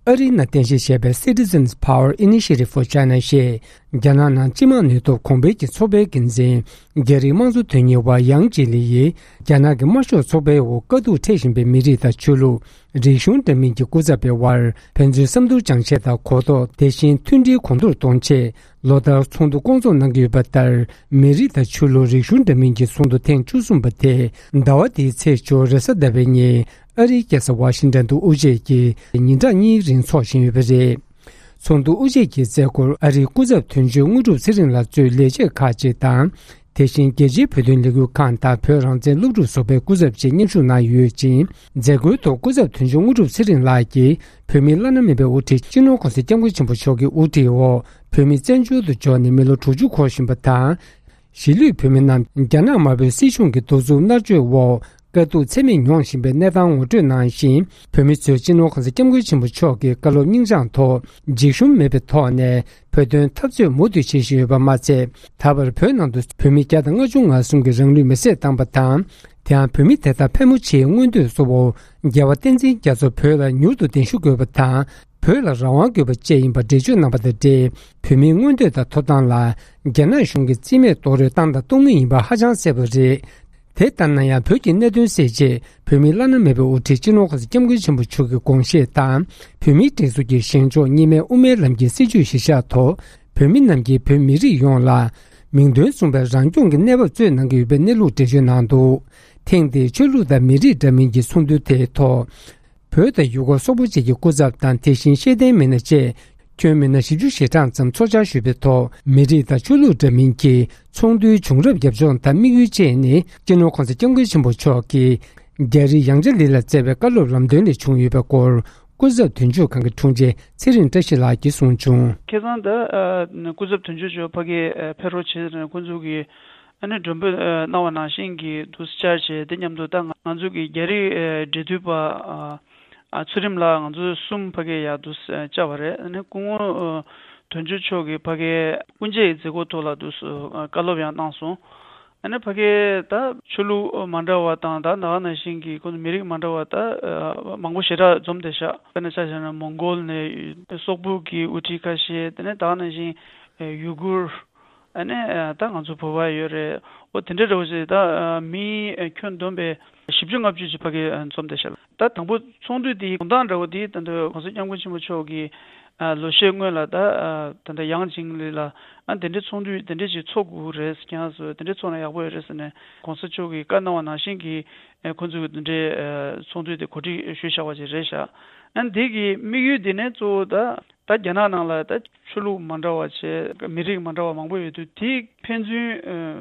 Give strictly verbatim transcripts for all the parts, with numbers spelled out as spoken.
ཨ་རིའི་ནང་རྟེན་གཞི་བྱས་པའི་Citizens Power Initiative for China ཞེས་རྒྱ་ནག་ནང་སྤྱི་དམངས་ནུས་སྟོབས་གོང་འཕེལ་གྱི་ཚོགས་པའི་འགན་འཛིན། རྒྱ་རིགས་དམངས་གཙོ་དོན་གཉེར་བ་ཡང་ཅི་ལི་ཡིས་རྒྱ་ནག་གི་དམར་ཤོག་ཚོགས་པའི་འོག་དཀའ་སྡུག་འཕྲད་བཞིན་པའི་མི་རིགས་དང་ཆོས་ལུགས། རིག་གཞུང་འདྲ་མིན་གྱི་སྐུ་ཚབ་པའི་དབར་ཕན་ཚུན་བསམ་བློ་སྦྱང་ཆེད་དང་གོ་རྟོགས། དེ་བཞིན་མཐུན་སྒྲིལ་གོང་མཐོར་གཏོང་ཆེད། ལོ་ལྟར་ཚོགས་འདུ་སྐོང་ཚོགས་གནང་གི་ཡོད་པ་ལྟར། མི་རིགས་དང་ཆོས་ལུགས། རིག་གཞུང་འདྲ་མིན་གྱི་ཚོགས་འདུ་ཐེངས་བཅུ་གསུམ་པ་དེ་ཟླ་བ་འདིའི་ཚེས་བཅུ་རེས་གཟའ་ཟླ་བའི་ཉིན་ཨ་རིའི་རྒྱལ་ས་ཝ་ཤིང་ཏན་དུ་དབུ་འབྱེད་ཀྱིས་ཉིན་གྲངས་གཉིས་རིང་འཚོགས་བཞིན་ཡོད་པ་རེད། ཚོགས་འདུ་དབུ་འབྱེད་ཀྱི་མཛད་སྒོར་ཨ་རིའི་སྐུ་ཚབ་དོན་གཅོད་དངོས་གྲུབ་ཚེ་རིང་ལགས་གཙོས་ལས་བྱེད་ཁག་ཅིག་དང་། དེ་བཞིན་རྒྱལ་སྤྱིའི་བོད་དོན་ལས་འགུལ་ཁང་དང་བོད་རང་བཙན་སློབ་ཕྲུག་ཚོགས་པའི་སྐུ་ཚབ་བཅས་མཉམ་ཞུགས་གནང་ཡོད་ཅིང་། མཛད་སྒོའི་ཐོག་སྐུ་ཚབ་དོན་གཅོད་དངོས་གྲུབ་ཚེ་རིང་ལགས་ཀྱིས་བོད་མིའི་བླ་ན་མེད་པའི་དབུ་ཁྲིད་སྤྱི་ནོར་༸གོང་ས་༸སྐྱབས་མགོན་ཆེན་པོ་མཆོག་གི་དབུ་ཁྲིད་འོག་བོད་མི་བཙན་བྱོལ་དུ་འབྱོར་ནས་མི་ལོ་དྲུག་ཅུ་འཁོར་བཞིན་པ་དང་། གཞིས་ལུས་བོད་མི་རྣམས་རྒྱ་ནག་དམར་པོའི་སྲིད་གཞུང་གི་གདུག་རྩུབ་མནར་གཅོད་འོག་དཀའ་སྡུག་ཚད་མེད་མྱོང་བཞིན་པའི་གནས་སྟངས་ངོ་སྤྲོད་གནང་ཞིང་། བོད་མི་ཚོས་སྤྱི་ནོར་༸གོང་ས་༸སྐྱབས་མགོན་ཆེན་པོ་མཆོག་གི་བཀའ་སློབ་སྙིང་བཅངས་ཐོག་འཇིགས་ཞུམ་མེད་པའི་ཐོག་ནས་བོད་དོན་འཐབ་རྩོད་མུ་མཐུད་བྱེད་བཞིན་ཡོད་པ་མ་ཚད། ད་བར་བོད་ནང་དུ་བོད་མི་བརྒྱ་དང་ལྔ་བཅུ་ང་གསུམ་གྱིས་རང་ལུས་མེར་སྲེག་བཏང་པ་དང་། དེའང་བོད་མི་དེ་དག་ཕལ་མོ་ཆེའི་མངོན་འདོད་གཙོ་བོ་རྒྱལ་བ་བསྟན་འཛིན་རྒྱ་མཚོ་བོད་ལ་མྱུར་དུ་གདན་ཞུ་དགོས་པ་དང་། བོད་ལ་རང་དབང་དགོས་པ་བཅས་ཡིན་པ་འགྲེལ་བརྗོད་གནང་པ་དང་འབྲེལ། བོད་མིའི་མངོན་འདོད་དང་ཐོབ་ཐང་ལ་རྒྱ་ནག་གཞུང་གིས་རྩིས་མེད་རྡོག་རོལ་བཏང་དང་གཏོང་མུས་ཡིན་པ་ཧ་ཅང་གསལ་པོ་རེད། དེ་ལྟར་ན་ཡང་བོད་ཀྱི་གནད་དོན་སེལ་ཆེད་བོད་མིའི་བླ་ན་མེད་པའི་དབུ་ཁྲིད་སྤྱི་ནོར་༸གོང་ས་༸སྐྱབས་མགོན་ཆེན་པོ་མཆོག་གི་དགོངས་བཞེད་དང་། བོད་མིའི་སྒྲིག་འཛུགས་ཀྱི་བཞེངས་ཕྱོགས་གཉིས་སྨན་དབུ་མའི་ལམ་གྱི་སྲིད་བྱུས་གཞིར་བཞག་ཐོག་བོད་མི་རྣམས་ཀྱིས་བོད་མི་རིགས་ཡོངས་ལ་མིང་དོན་མཚུངས་པའི་རང་སྐྱོང་གི་གནས་བབ་སྩོལ་གནང་གི་ཡོད་པའི་གནས་ལུགས་འགྲེལ་བརྗོད་གནང་འདུག་ཐེངས་འདིའི་ཆོས་ལུགས་དང་མི་རིགས་འདྲ་མིན་གྱི་ཚོགས་འདུ་དེའི་ཐོག་བོད་དང་ཡུ་གུར་སོག་པོ་བཅས་ཀྱི་སྐུ་ཚབ་དང་། དེ་བཞིན་ཤེས་ལྡན་མི་སྣ་བཅས་ཁྱོན་མི་སྣ་བཞི་བཅུ་ཞེ་གྲངས་ཙམ་ཚོགས་བཅར་ཞུས་པའི་ཐོག་མི་རིགས་དང་ཆོས་ལུགས་འདྲ་མིན་གྱི་ཚོགས་འདུའི་བྱུང་རབས། རྒྱབ་ལྗོངས་དང་དམིགས་ཡུལ་བཅས་ནི། སྤྱི་ནོར་༸གོང་ས་༸སྐྱབས་མགོན་ཆེན་པོ་མཆོག་གིས་རྒྱ་རི་ཡང་ཅི་ལི་ལ་བསྩལ་བའི་བཀའ་སློབ་ལམ་སྟོན་ལས་བྱུང་ཡོད་པའི་སྐོར། སྐུ་ཚབ་དོན་གཅོད་ཁང་གི་དྲུང་ཆེ་ཚེ་རིང་བཀྲ་ཤིས་ལགས་ཀྱིས་གསུངས་བྱུང་། ཁ་སང་ད་ཨ་སྐུ་ཚབ་དོན་གཅོད་མཆོག་ཕ་གིར་ཨ་ཕེབས་རོགས་བྱས་ནས་ཁོང་ཚོ་གིས་ཨ་ནི་མགྲོན་འབོད་ཨ་གནང་བ་ནང་བཞིན་གྱི་འདུ་བཅར་བྱས། དེ་མཉམ་དུ་ད་ང་ང་ཚོ་གི་རྒྱ་རིགས་ཨ་འབྲེལ་མཐུད་པ་ཨ་ཨ་ཚུལ་ཁྲིམས་ལགས་ང་ཚོ་གསུམ་ཕ་གིར་ཡར་འདུ་བཅར་བ་རེད། ཨ་ནི་སྐུ་ངོ་ཨ་དོན་གཅོད་མཆོག་གིས་ཕ་གིར་དབུ་འབྱེད་ཀྱི་མཛད་སྒོ་ཐོག་ལ་འདུ་ཨ་བཀའ་སློབ་ཡང་གནང་སོང་། ཨ་ནི་ཕ་གིར་ད་ཆོས་ལུགས་མ་འདྲ་བ་དང་། ད་ད་ག་ནང་བཞིན་གྱི་ཁོང་ཚོ་མི་རིགས་མ་འདྲ་བ་ད་ཨ་མང་པོ་ཞེ་དྲག་འཛོམས་བསྡད་ཤག་དཔེར་ན་ཆ་བཞག་ན་མོང་གོལ་ནས་སོག་པོ་གི་དབུ་ཁྲིད་ཁ་ཤས། དེ་ནས་ད་ག་ནང་བཞིན་ཡུ་གུར། ཨ་ནི་ད་ང་ཚོ་བོད་པ་ཡོད་རེད། འོ་དེ་འདྲ་འདྲ་བོ་ཞིག་ད་མི་ཁྱོན་བསྡོམས་པས་བཞི་བཅུ་ལྔ་བཅུ་ཅིག་ཕ་གིར་འཛོམས་བསྡད་ཤག་ད་དང་པོ་ཚོགས་འདུ་དེའི་དགོང་དག་འདྲ་བོ་དེ་ད་ལྟ་༸གོང་ས་༸སྐྱབས་མགོན་ཆེན་པོ་མཆོག་གིས་ཨ་ལོ་ཤས་སྔོན་ལ་ད་ཨ་ད་ལྟ་ཡང་ཅིང་ལི་ལ་ཨ་དེ་འདྲའི་ཚོགས་འདུ་དེ་འདྲ་ཞིག་ཚོགས་དགོས་རེད། ཁྱེད་རང་ཚོ་དེ་འདྲ་ཚོགས་ན་ཡག་པོ་ཡོད་རེད་ཟེར་ནས་༸གོང་ས་མཆོག་གིས་བཀའ་གནང་བ་ནང་བཞིན་གྱི་ཨ་ཁོང་ཚོས་དེ་འདྲའི་ཨ་ཚོགས་འདུ་དེ་གོ་སྒྲིག་ཞུས་བཞག་པ་ཅིག་རེད་ཤག་ཨ་འདི་གི་དམིགས་ཡུལ་དེ་ནི་གཙོ་བོ་ད་ད་རྒྱ་ནག་ནང་ལ་ད་ཆོས་ལུགས་མ་འདྲ་བ་བྱས། མི་རིགས་མ་འདྲ་བ་མང་པོ་ཡོད་དུས། དེ་ཕན་ཚུན་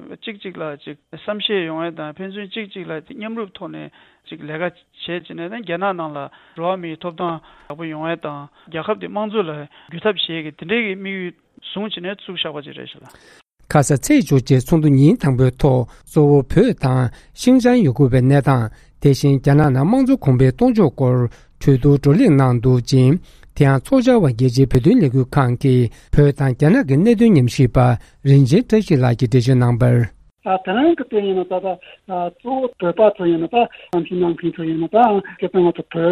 ཨ་གཅིག་གཅིག་ལ་ཅིག་བསམ་ཤེས་ཡོང་ཡ་དང་། ཕན་ཚུན་གཅིག་གཅིག་ལ་མཉམ་རུབ་ཐོག་ནས་ཅིག་ལས་ཀ་བྱས་བྱས་ནས། ད་རྒྱ་ནག་ནང་ལ་འགྲོ་བ་མིའི་ཐོབ་ཐང་ཡག་པོ་ཡོང་ཡ་དང་། རྒྱལ་ཁབ་དེ་དམངས་གཙོ་ལ་འགྱུར་ཐབས་བྱེད་ཀྱི་དེ་འདྲའི་གི་དམིགས་ཡུལ་བཟུང་བྱས་ནས་བཙུགས་བཞག་པ་ཅིག་རེད་ཤག་ལགས། ཁ་ས་ཚེས་བཅུ་གཅིག་ཚོགས་འདུ་ཉིན་དང་པོའི་ཐོག་གཙོ་བོ་བོད་དང་ཤིང་ཅང་ཡུ་གུར་བའི་གནས་སྟངས། དེ་བཞིན་རྒྱ་ནག་ནང་དམངས་གཙོ་གོང་འཕེལ་གཏོང་ཕྱོགས་སྐོར་གྲོས་བསྡུར་བགྲོ་གླེང་གནང་འདུག་ཅིང་། དེ་ཡང་ཚོགས་བཅར་བ་རྒྱལ་སྤྱིའི་བོད་དོན་ལས་འགུལ་ཁང་གི་བོད་དང་རྒྱ་ནག་གི་གནད་དོན་ཉམས་ཞིབ་པ་རིན་ཆེན་བཀྲ་ཤིས་ལགས་ཀྱིས་འགྲེལ་བརྗོད་གནང་བར། ཨ་དེ་རིང་གི་དེ་ཡིན་ན་ད་ལྟ་ཨ་གཙོ་བོ་བོད་པ་ཚོ་ཡིན་ན། ད་བསམ་ཤེས་གནང་མཁན་ཚོ་ཡིན་ན། ད་སྤྱིར་བཏང་ང་ཚོ་བོད་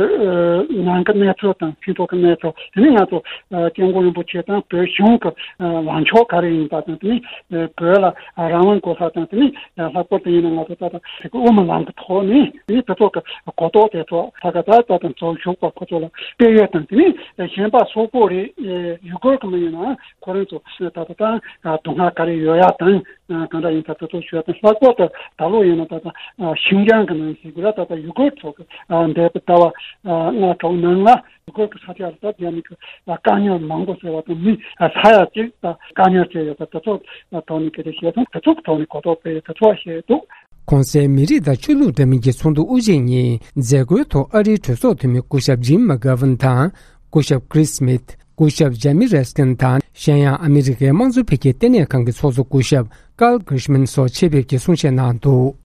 ནང་གི་གནས་ཚུལ་དང་། སྤྱི་ཚོགས་ཀྱི་གནས་ཚུལ། དེ་ནས་ང་ཚོ་ཨ་སྐྱབས་མགོན་རིན་པོ་ཆེ་དང་བོད་གཞུང་གི་ཨ་ལངས་ཕྱོགས་ག་རེ་ཡིན་པ་དང་། དེ་ནས་ཨ་བོད་ལ་ཨ་རང་དབང་དགོས་ས་དང་། དེ་ནས་ཨ་ལྷག་པར་དུ་ཡིན་ན་ང་ཚོ་ད་ལྟ་དེ་གི་དབུ་མའི་ལམ་གྱི་ཐོག་ནས། དེ་ནས་དེ་ཚོ་གི་གོ་རྟོགས་དེ་ཚོ་ད་ག་ད་ད་དང་ཚོགས་ཞུགས་པ་ཁོ་ཚོ་ལ་སྤེལ་ཡས་དང་། དེ་ནས་ཨ་གཞན་པ་སོག་པོ་རེད། ཨ་ཡུ་གུར་གི་མི་ཡིན་ན་ཁོ་རང་ཚོ་ད་ལྟ་ད་ཨ་སྡུག་བསྔལ་ག་རེ་ཡོད་ཡ་དང་། ཨ་གང་འདྲ་ཡིན་ད་དེ་ཚོ་ཞུ་ཡ་དང་། ལྷག་པར་དུ་ད་ལོ་ཡིན་ན་ད་ལྟ་ཨ་ཤིང་ཅང་གི་ནང་ཞིག་ར། ད་ལྟ་ཡུ་གུར་ཚོ་གི་ཨ་འདས་པའི་ཟླ་བ་ཨ་ལྔ་དྲུག་ནང་ལ་ཡུ་གུར་གི་ས་ཆ་ལ་ད་རྒྱ་མི་གི་ཨ་དཀའ་ངལ་མང་པོ་ཟེར་བ་དང་། མི་ཨ་ས་ཡ་གཅིག་ད་དཀའ་ངལ་སྤྱད་ཡོད་པ་དེ་ཚོ་ཐོག་ནས་སྐད་ཆ་བཤད་སོང་། དེ་ཚོ་གི་ཐོག་ནས་གོ་རྟོགས་སྤེལ་ཡ་དེ་ཚོ་བཤད་འདུག། གོང་གསལ་མི་རིགས་དང་ཆོས་ལུགས་འདྲ་མིན་གྱི་ཚོགས་འདུ་དབུ་འབྱེད་ཉིན་མཛད་སྒོའི་ཐོག་ཨ་རིའི་གྲོས་ཚོགས་འཐུས་མི་སྐུ་ཞབས་ཇིམ་མ་གྷ་ཝན་དང་། སྐུ་ཞབས་ཀྲིས་སྨིད། སྐུ་ཞབས་ཇེ་མི་རེ་སི་ཀིན་དང་། གཞན་ཡང་ཨ་མི་རི་ཀའི་དམངས་གཙོ་འཕེལ་རྒྱས་ལྟེ་གནས་ཁང་གི་ཚོགས་གཙོ་སྐུ་ཞབས་ཀཱལ་གྷིར་ཤ་མན་སོགས་ཆེད་ཕེབས་ཀྱིས་གསུང་བཤད་གནང་འདུག།